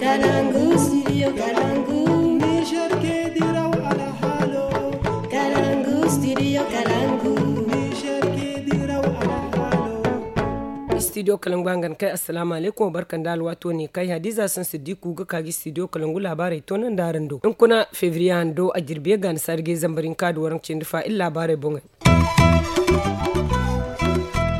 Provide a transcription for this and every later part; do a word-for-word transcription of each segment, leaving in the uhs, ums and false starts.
Kalangu, studio Kalangu. Niger ke diraw alhalo. Kalangu, studio Kalangu. Niger ke diraw alhalo. Studio Kalangu hangan kai, assalamu alaikum, barkan da alwato ne kai. Hadiza san siddiku ga kaagi studio Kalangu labarai to nan da aran do. In kuna fevrier hando a jirbiye ga ni sarge zambarin ka da waran cindi fa in labarai bongai.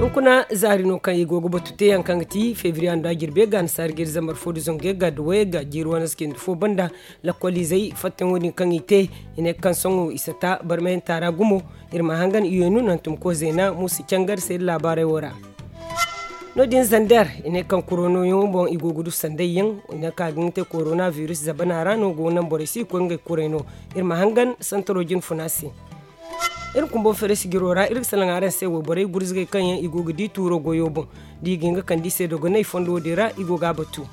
Hunkuna zaari no kaŋ i go ga batu teeyaŋ kaŋ ga ti febriya nda jirbe ga ni saari ga iri zambar fo da zangu ga da wayey ga jiiri wane si cindi fo banda. Lakkol izey fattayaŋo din kaŋ i te, i ne kaŋ sohõ i sata barmayanta ra gumo. Iri ma hangan i yoy no nantum ko zeena muusa cangar se iri laabaarey wo ra. No- din zander i ne kaŋ koronoyaŋo boŋ i go ga du sandayyaŋ, i ne kaŋ a ga nga te korona virus zabana ra no go ga naŋ borey si i koy ngey kuray no. Iri ma hangan santaro jine funa se. Iri kumbo feere sijiro ra iri ga salaŋ araŋ se wayborey gurzugay kaŋ yaŋ i go ga di tuuro goyo boŋ, da i ga hin ga kande i se dogonay fondo din ra i go ga a batu.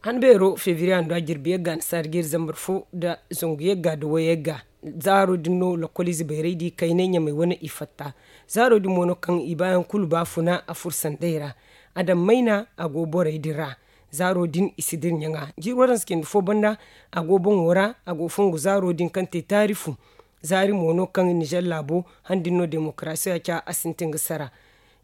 Han beero febriye hando a jirbi yagga ni saari ga iri zambar fo nda zangu yagga nda way yagga. Zaaro din no lakkol ize bayray da i kaynay ɲamay wane i fatta. Zaaro din mo no kaŋ i baayaŋ kulu baafuna a furo sanday ra. Adam mayna a go borey din ra. Zaaro din i si dira ɲaŋa jiiri waranza cindi fo banda. A go boŋo ra a go fongu zaaro din kaŋ te taari fu. Zaari mo no kaŋ nizer laabo han din no demokarasiya ca a sintin ga sara.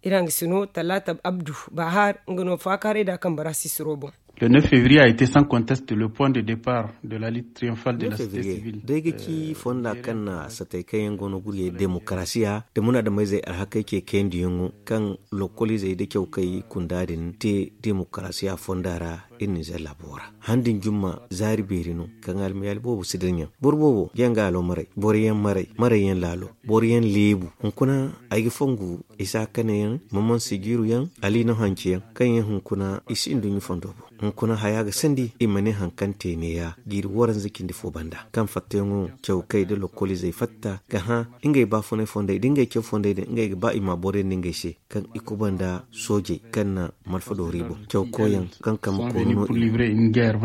Iri hangasino talaata abdu baahar nga no faakaaray da a kaŋ bara sisiro boŋ. Le neuf février a été sans conteste le point de départ de la lutte triomphale de la société civile. Day ga ci fonda kaŋ na satay kaŋ yaŋ go no guriyey demokarasiya da munaadameyzey alhakey ce kayandiyaŋo kaŋ lokoliizey da cawkay kunda din te demokarasiya fonda ra. Iri nizer laabo ra han din jumma zaari beeri no kaŋ almiyaali boobo si dira ɲaŋ boro boobo ga yaŋ ga alo maray boro yaŋ maray maray yaŋ laalo boro yaŋ leebu. Hunkuna ay ga fongu isa kane yaŋ maman sijiiru yaŋ aliino hanci yaŋ kaŋ yaŋ hunkuna i si nduɲɲa fondo boŋ. Hunkuna haya ga sandi i ma ne hari kaŋ te neeya jiiri waranza cindi fo banda kaŋ fattayaŋo cawkay nda lokoliizey fatta ga hã ngey baafunay fondey nda ngey caw fondey din ngey ga ba i ma a boriyandi ngey se kaŋ i kubanda soojey kaŋ na malfa doori boŋ cawkoyaŋ kaŋ kambe koonu no i.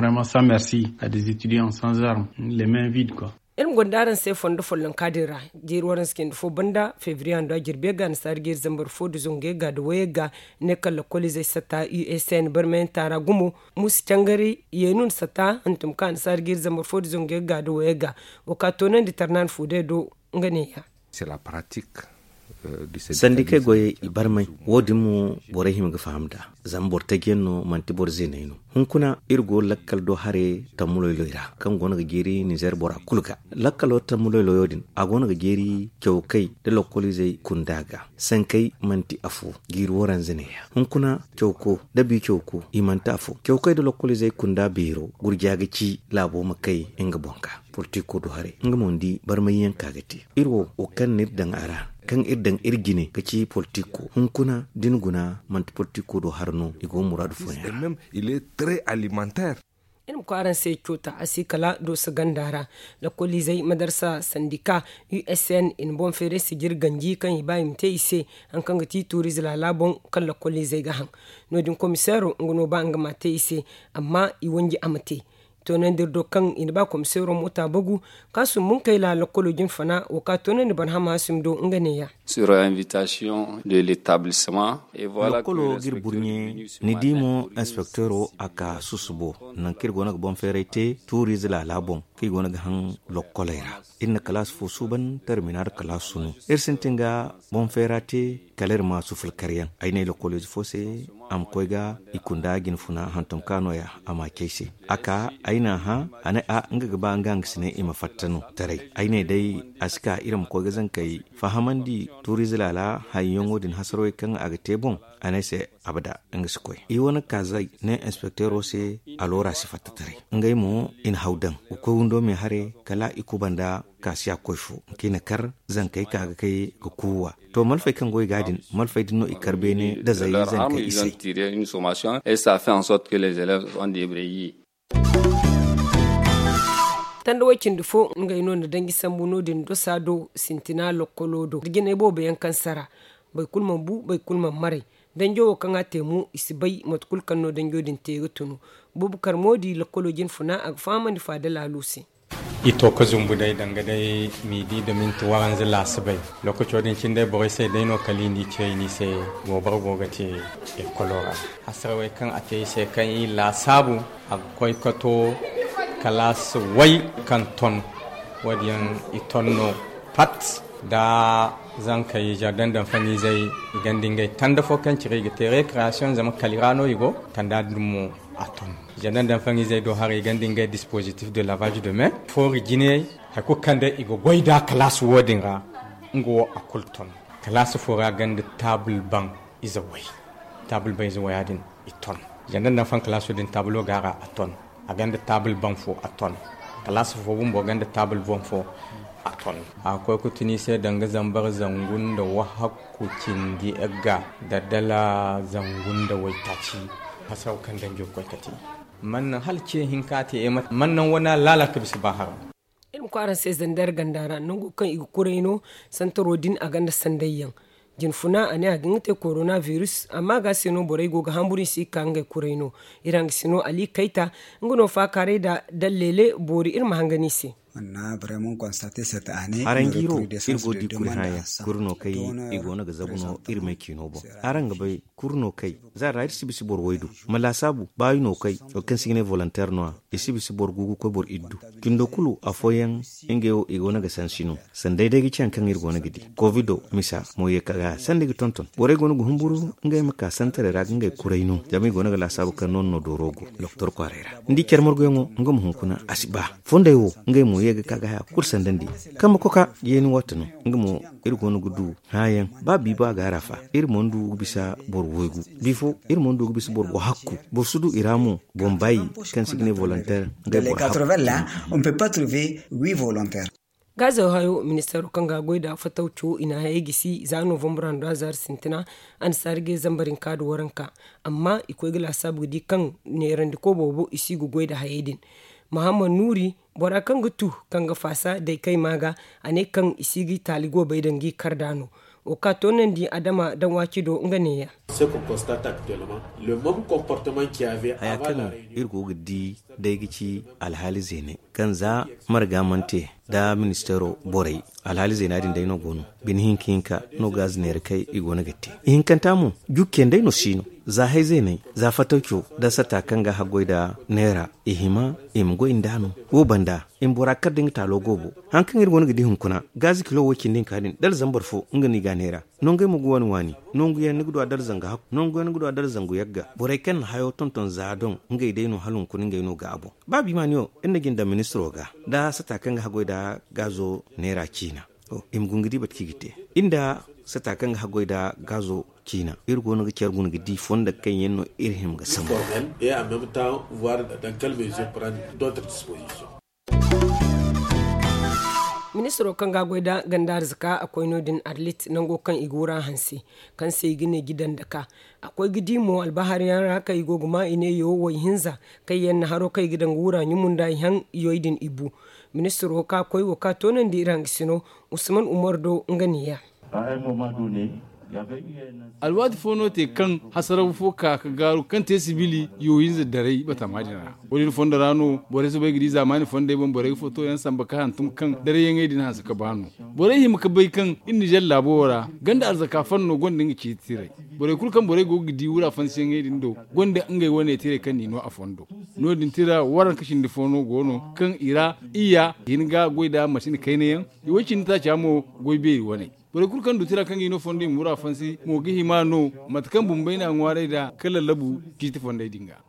Iri ma gonda araŋ se fondo follonka din ra. Jiiri waranza cindi fo banda febriye hando a jirbi yagga ni saari ga iri zambar fo nda zangu yagga nda way yagga. Ne kaŋ lakkoliizey satta usn barmayanta ra gumo. Muusa cangari yeenun satta hantum kaŋ a ni saari ga iri zambar fo nda zangu yagga nda way yagga. Wo ka toonandi tarnaani fu day do nga neeya. Sandi kaŋ ay goyey i barmay wo- din mo borey hima ga faham nd'a. Zama boro taji yaŋ no manti boro zeeney no. Hunkuna iri go lakkal do hare tammuloyley ra kaŋ go no ga jeeri nizer bora kulu ga. Lakkalo tammuloyloyo din a go no ga jeeri cawkay nda lokoliizey kunda ga. Sankey manti afo jiiri waranza neeya hunkuna cawko nda bi cawko i manti afo cawkay nda lokoliizey kunda beero gurja ga ci laabo ma kay nga boŋ ga. Politiko do haray nga mo ni di barmayyaŋ ka ga te iri wo wo kaŋ no iri daŋ a ra kaŋ iri daŋ iri jine ga ci politiko hunkuna da ni guna manti politiko do hara no i go muraadu fooyaŋ ra. Iri ma koy araŋ se coota a si kala dooso ganda ra. Lakkoliizey madarsa sandika usn i na boŋ feeray sijir ganji kaŋ i ba i ma te i se. Hari kaŋ ga ti tuuriize laala boŋ kaŋ lakkoliizey ga haŋ. No- din komiseero nga no ba nga ma a te i se. Amma i wanji a ma te. Toonandi iri do kaŋ i na ba komiseero moota bagu ka sumbu nga kay laala lakkolo jine fana wo ka toonandi barhama hasim do nga neeya. Sur invitation de l'établissement. Lakkolo ga iri burɲe ni di mo inspekteero a ka susubo nangu kaŋ iri go no ga boŋ feeray te tuuriize laala boŋ kaŋ i go no ga haŋ lakkoley ra. Iri na kalaasi fo suuban terminaal kalaasu no iri sintin ga boŋ feera te. Kala iri ma suful karyaŋ ay ne lakkoliize fo se a ma koy ga i kunda jine funa hantum ka nooya a ma a ci ay se. A ka ay n'a hã a ne a nga ga ba nga hangasiney i ma fatta no taray ay ne day a si ka iri ma koy ga zankey fahamandi tuuriize laala hayyaŋo din hasarwey kaŋ a ga te boŋ. A ne ay se abada nga si koy i wane kaazey ne inspekteero se. Aloora si fatta taray ngey mo i na haw daŋ ga koy windo me haray kala i kubanda. Kaasiya koy fo kaŋ i na kar zankey ka ga kay ga kuuwa. To malfey kaŋ go i ga din malfey din no i kar beene da zay zankey i se. Tanda way cindi fo ngey no na danji sambu no- din dosa do sintina lokkolo do da jinay boobo yaŋ kaŋ sara. Boro kulu mana bu boro kulu mana maray. Danjo wo kaŋ a te mo i si bay mate kulu kaŋ no danjo din te ga tunu. Boobo kar mo di lokkolo jine funa a ga fahamandi faada laalo se. I to ka zumbu day danga day midi da minti waranza laasabey. Lookaco din cine day borey se day no kala i n'i ce i n'i se. Goobara go ga te ekolo ra. Hasarawey kaŋ a te i se kaŋ i laasaabu, a ga koy ka to kalaasi way kaŋ ton. Wo- din yaŋ i ton no pat. Da zankey jardin d'enfants izey, i gonda ngey tanda fo kaŋ cire i ga te recreation zama kali ra no i go. Tanda din mo a ton. Jardin d'enfants izey do haray i gonda ngey dispositif de lavage de main, foori jinayey. Hari kulu kaŋ day i ga goy nd'a kalaasi wo- din ra, nga wo a kulu ton. Kalaasi fo ra gonda taabul baŋ ize way. Taabul baŋ ize waya din, i ton. Janda nda fan kalaaso din taabulo go a ra, a ton. A gonda taabul baŋ fo, a ton. Kalaasi fo bumbo gonda taabul baŋ fo, a ton. A ga koy ga tun i se danga zambar zangu nda wahakku cindi egga, da dala zangu nda waytaaci. Hasaw kaŋ danjo ga koy ga te. Man naŋ hala ce hinka te, man naŋ wana laala ka bisa ba haram. Iri ma koy araŋ se zandar ganda ra nango kaŋ i ga kuray no. Santaro din a gonda sanday yaŋ. Jinfuna a ne a ga nga te korona virus, amma ga se no borey go ga hamburu i si ga ka ngey kuray no. Iri hangasino ali kayta, nga no faakaaray da dalleele boori iri ma hangan i se. Haraŋ jiiro, iri go ga di kuri hããyaŋ, kuri no kaŋ i go no ga zabu no iri may ciino boŋ. Araŋ ga bay, kuri no kay, za ra iri si bisa boro waydu. Ma laasaabu baayi no kay, wo kaŋ se i ga ne volonteer no- ya, i si bisa boro gu ga koy boro iddu. Cindo kulu afooyaŋ, ngey wo i go no ga sansi no. Sanday day ga ci hari kaŋ iri go no ga di kovido misa mo ye ka ga sanda i ga tonton borey go no ga humburu. Ngey ma ka santaray ra ga ngey kuray no zama i go no ga laasaabu kaŋ no- no dooro go. Doktor kwaaray ra ni di care marguyaŋo, nga ma hunkuna a si ba. Fonday wo, ngey mo ye ga ka ga haya kulu sandandi. Kambe koka, yeeni waati no, nga mo iri go no ga du hããyaŋ. Ba bi ba ga a ra fa, iri mana du ga bisa boro waygu. Bifo, iri mana du ga bisa boro wahakku. Boro si du i ra mo boŋ baayi kaŋ se i ga ne volonteer. Ngey boro hakku. Gaazo hayo, ministeero kaŋ ga a goy nd'a fatawco, i na a hayey gisi za novambra nda zaari sintina. Annasaari ga ye zambar hinka nda waranka. Amma i koy ga laasaabu ga di kaŋ neerandiko boobo i si ga goy nda hayey din. Mahammad nuuri, bora kaŋ ga tu, kaŋ ga faasa day kay maa ga, a ne kaŋ i si ga i taali goobey daŋ ga i kar nd'a no. Wo kaŋ a toonandi adama daŋ waaci do nga neeya. Haya kaŋ iri go ga di day ga ci alhaali zeeney kaŋ za marga mana te nda ministeero borey. Alhaali zeena din day no go no. Bine hinka hinka no gaazi neera kay i go no ga te. Ihinkanta mo, jukkiyaŋ day no si no. Za hay zeeney, za fatawco nda sata kaŋ ga haggoy nda neera, i hima i ma goy nd'a no. Wo banda, i ma bora kar da nga taalo goobo. Hari kaŋ iri go no ga di hunkuna, gaazi kilo way cindi hinka din dala zambar fo nga no i ga a neera. Nongey mo ga waani waani. Nonguyaŋ ni ga du a dala zangu hakku, nonguyaŋ ni ga du a dala zangu yagga. Borey kaŋ na hayo tonton za doŋ, ngey day no hala hunkuna ngey no ga a boŋ. Ba bimaani wo, iri na jin daŋ ministiro ga nda sata kaŋ ga haggoy nda gaazo neera ciina. I ma guna ga di mate kaŋ i ga te. Iri nda sata kaŋ ga haggoy nda gaazo ciina, iri go no ga care guna ga di fondo kaŋ yaŋ no iri hima ga sambu. Ministiro kaŋ ga a goy nda ganda arzaka a koy no- din arlit nango kaŋ i ga wura hanse, kaŋ se i ga ne gidandaka. A koy ga di mo albahari yaŋ ra kaŋ i go ga ma i ne yo way hinza, kaŋ yaŋ na haro kaŋ i ga daŋ ga wura ɲumu nda i haŋ yoy din i bu. Ministiro ka koy wo ka toonandi iri hangasino, usman umar do nga neeya. Alwaati fo no te kaŋ hasaraw fo ka ga gaaru kaŋ te sibili yohinza daray batama din ra. Wo- din fondo ra no borey soobay ga di zaamaani fondey boŋ borey ga foto yaŋ samba ka hantum kaŋ darayyaŋey din hanse ka ba no. Borey hima ga bay kaŋ iri nizer laabo wo ra ganda arzaka fanno gonda nga ciiti tiray. Borey kulu kaŋ borey go ga di wura fansiyaŋey din do gonda ngey wane tiray kaŋ n'i no a fondo. No- din tira waranka cindi fo no go no kaŋ i ra iyya, i hin ga goy nda masini kayna yaŋ. I way cindi taaca mo goy beeri wane. Borey kulu kaŋ du tira kaŋ ga i no fondo i ma wura fansi mo ga hima no mate kaŋ bumbey n'a ŋwaaray nd'a ka lallabu ciiti fondey din ga.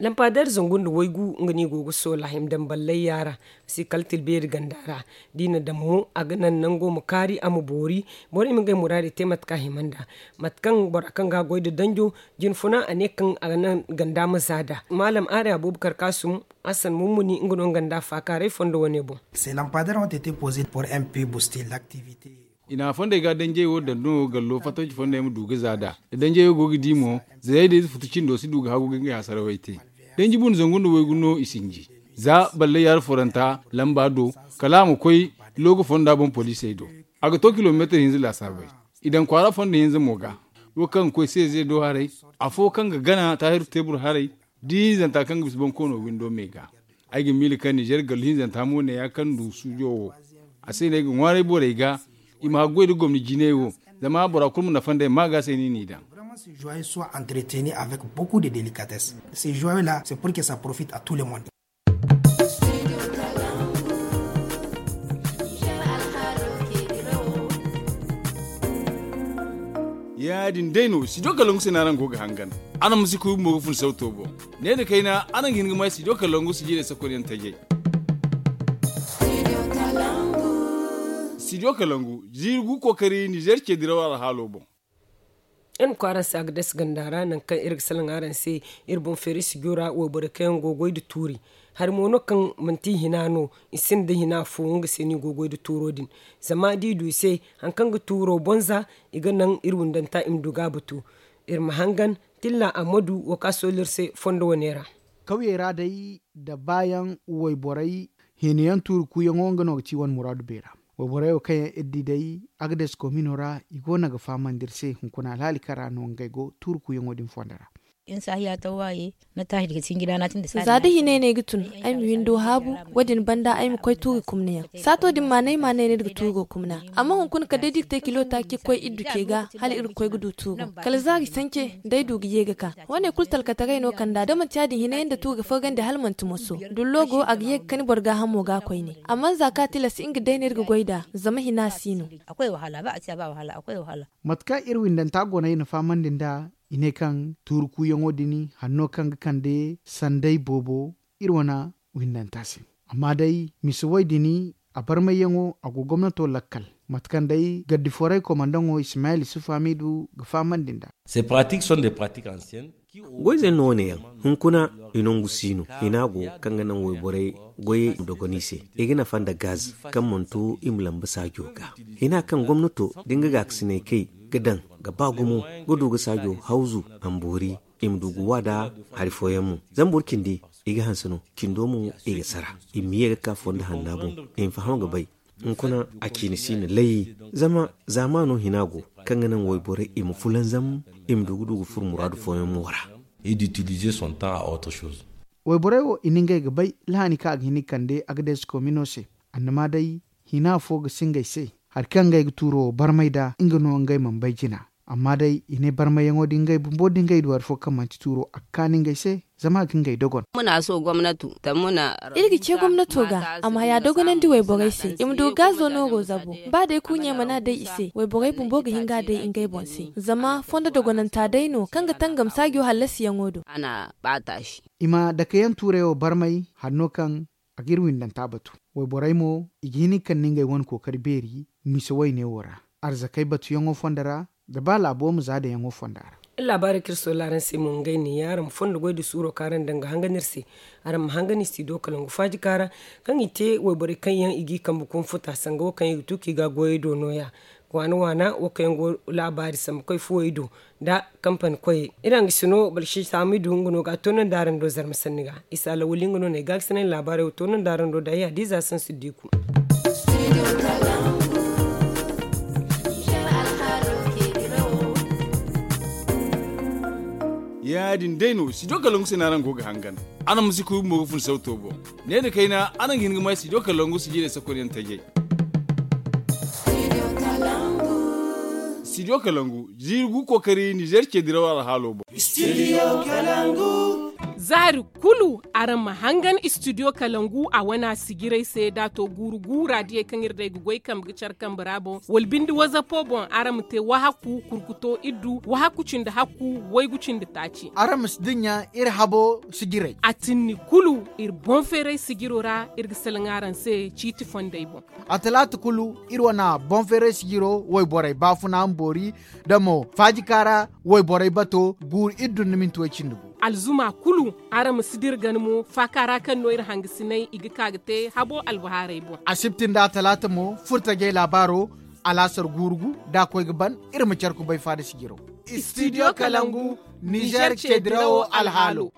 Lampadeer zangu nda waygu nga no i go ga soola hima daŋ ballay yaara. Si kala tilbeeri ganda ra. Da i na daŋ mo a ga naŋ nango ma kaari a ma boori. Borey ma ngey muraadey te mate kaŋ a hima nd'a. Mate kaŋ bora kaŋ ga a goy nda danjo jinfuna a ne kaŋ a ga naŋ ganda ma za nd'a. Maalam aari abubakar kaasum, hassan mummuni nga no nga nda a faakaaray fondo wane boŋ. I na fondey ga danjey wo daŋ no gallo fattawci fondey ma du ga za nd'a. Da danjey wo go ga di mo, zayey da ize futu cindo si du ga hagu ga ngey hasarawey te. Danji bun zangu nda waygu no i sinji. Za ballay yaari foranta lamba do, kala a ma koy looga fonda boŋ poliisey do. A ga to kilomeetir hinza laasaabey. I daŋ kwaara fondo hinza mo ga. Wo kaŋ ga koy seeze do haray, afo kaŋ ga gana taahiru teebur haray. Da i hinzanta kaŋ ga bisa bonkoono windo me ga, ay ga miila kaŋ ninzeer gallu hinzanta mo ne ya kaŋ du suujo wo. A se no ay ga ŋwaaray borey ga, i ma haggoy nda gomni jinay wo. Zama bora kulu ma nafa nd'ey ma ga se no i n'i daŋ. Ces joyaux là, c'est pour que ça profite à tout le monde. Ya- din day no studio kalangu se no araŋ go ga hangan. Araŋ ma si kuy bumbo ga fun sauto boŋ. Ne nda kayna araŋ ga hin ga may studio kalangu sijirey sakonyaŋ tajay. Studio kalangu, ziiri gu kookari ninzeer ce diraw alhaalo boŋ. Iri ma koy araŋ se a ga dase ganda ra nangu kaŋ iri ga salaŋ araŋ se. Iri boŋ feeri sijo ra wayborey kaŋ yaŋ go ga goy nda tuuri. Hari mo no kaŋ manti i hina no, i sinda hina fo nga se no i go ga goy nda tuuro din. Zama da i du i se hari kaŋ ga tuuro bonza, i ga naŋ iri windanta i ma du ga a batu. Iri ma hangan tilla ammadu wo kaŋ a sooli iri se fondo wane ra. Kawyey ra day nda baayaŋ wayborey, hina yaŋ tuuri kuuyaŋo nga no ga ci wane muraadu beera. Wayborey wo kaŋ yaŋ iri di day, agades komino ra i go no ga fahamandi iri se hunkuna alhaali kaŋ ra no ngey go tuuri kuuyaŋo din fondo ra. Za da hinay no ay ga tun, ay ma windo haabu. Wo- din banda ay ma koy tuuri kumna yaŋ. Saato din maanay maanay no iri ga tuuro kumna. Amma hunkuna kala day da iri ga te kilo taaci ga koy iri du ce ga, hala iri ga koy ga du tuuro. Kala zaari sance, da ay du ga ye ga ka. Wo- ne kulu talkataray no kand'a da manti ya- din hinay nda tuuro ga fargandi hala manti moso. Dullo go a ga ye ga kani boro gaahamo ga koyne. Amma za kaŋ a tilas nga day no iri ga goy nd'a, zama hina si no. Mate kaŋ iri windanta go no ay na fahamandi nd'a, i ne kaŋ tuuri kuuyaŋo din hanno kaŋ ga kande sanday boobo iri wane windanta se. Amma day misa way din, a barmayyaŋo a go gomnato lakkal. Mate kaŋ day gardiforey komandaŋo ismayil isufu hamidu ga fahamandi nd'a. Goyzey no wo- ne yaŋ. Hunkuna i nangu si no hina go kaŋ ga naŋ wayborey goyey ma dogon i se. I ga nafa nda gaz kaŋ mana to i ma lamba saajo ga. Hina kaŋ gomnato da nga gaakasinay kay ga daŋ ga ba gumo, ga du ga saajo hawzu, a ma boori, i ma du ga wa nd'a. Hari fooyaŋ mo zama boro cindi i ga hanse no, cindo mo i ga sara. I ma ye ga ka fondo hanna boŋ, i ma faham ga bay. Hunkuna a ciini si no lay. Zama zaamaano hina go kaŋ ga naŋ wayborey i ma fulanzam, i ma du ga du ga furo muraadu fooyaŋ mo ra. Wayborey wo i na ngey ga bay lahaani kaŋ a ga hin ga kande agades komino se. Annama day hina fo ga si ngey se. Hari kaŋ ngey ga tuuro wo barmay nd'a nga no ngey mana bay jina. Amma day i ne barmayyaŋo din ngey bumbo da ngey du hari fo kaŋ manti tuuro a ga kaanu ngey se. Zama a ga ngey dogon. Iri ga ce gomnato ga a ma haya dogonandi wayborey se i ma du gaazo nooro zabo. Ba day kurɲey mana day i se wayborey bumbo ga hin ga a day ngey boŋ se zama fondo dogonanta day no kaŋ ga tangam saajo hallasiyaŋo do. I ma dake yaŋ tuurey wo barmay hanno kaŋ a ga iri windanta batu. Wayborey mo i ga hin ga kande ngey wane kookari beeri misa wayne wo ra, arzakey batuyaŋo fondo ra, nda ba laabo ma za daŋyaŋo fonda ra. Iri laabaarey kaŋ iri soola araŋ se mo ngey ne ya araŋ ma fondo goy nda suuro kaŋ araŋ daŋ ga hangan iri se. Araŋ ma hangan istidiyo kalangu faajika ra kaŋ i te wayborey kaŋ yaŋ i g'i kambe koŋ futa sanga wo kaŋ i ga tu kaŋ i ga a goyey do nooya. Waana waana wo kaŋ yaŋ go laabaari sambu koy fuwey do nda kampani koyey. Iri hangasino balsisa hamidu nga no ga a toonandi araŋ do zarma sanni ga. Isa lawali nga no no ay gaakasinay laabaarey wo toonandi araŋ do da ay hadiza sansu diiku. Ya- din day no studio kalangu se no araŋ go ga hangan. Araŋ ma si kuy bumbo ga fun sauto boŋ. Ne nda kayna araŋ ga hin ga may studio kalangu sijirey sakonyaŋ tajay. Studio kalangu, ziiri gu kookari nizeer ce diraw alhaalo boŋ. Zaari kulu araŋ ma hangan istidiyo kalangu a wana sijirey se da a to guuru gu raadiyey kaŋ iri day ga goy kambe ga care kambe ra boŋ wala binde wazapo boŋ araŋ ma te wahakku kurkuto iri du wahakku cindi hakku waygu cindi taaci. Araŋ ma si dinya iri habo sijirey a tinni kulu iri boŋ feeray sijiro ra. Iri ga salaŋ araŋ se ciiti fondey boŋ. A talaata kulu iri wana boŋ feeray sijiro wayborey baafuna ma boori da mo faajika ra wayborey bato guuru iri du nda minti way cindi gu. Alzuma kulu araŋ ma si dira gana mo faaka ra kaŋ no iri hangasinay i ga ka ga te habo albahaarey boŋ. Asibti nda talaata mo furtajey laabaaro alaasar guuru gu da a koy ga ban iri ma care kubay faada sijiro. Istidiyo kalangu nizeer ce dirawo alhaalo.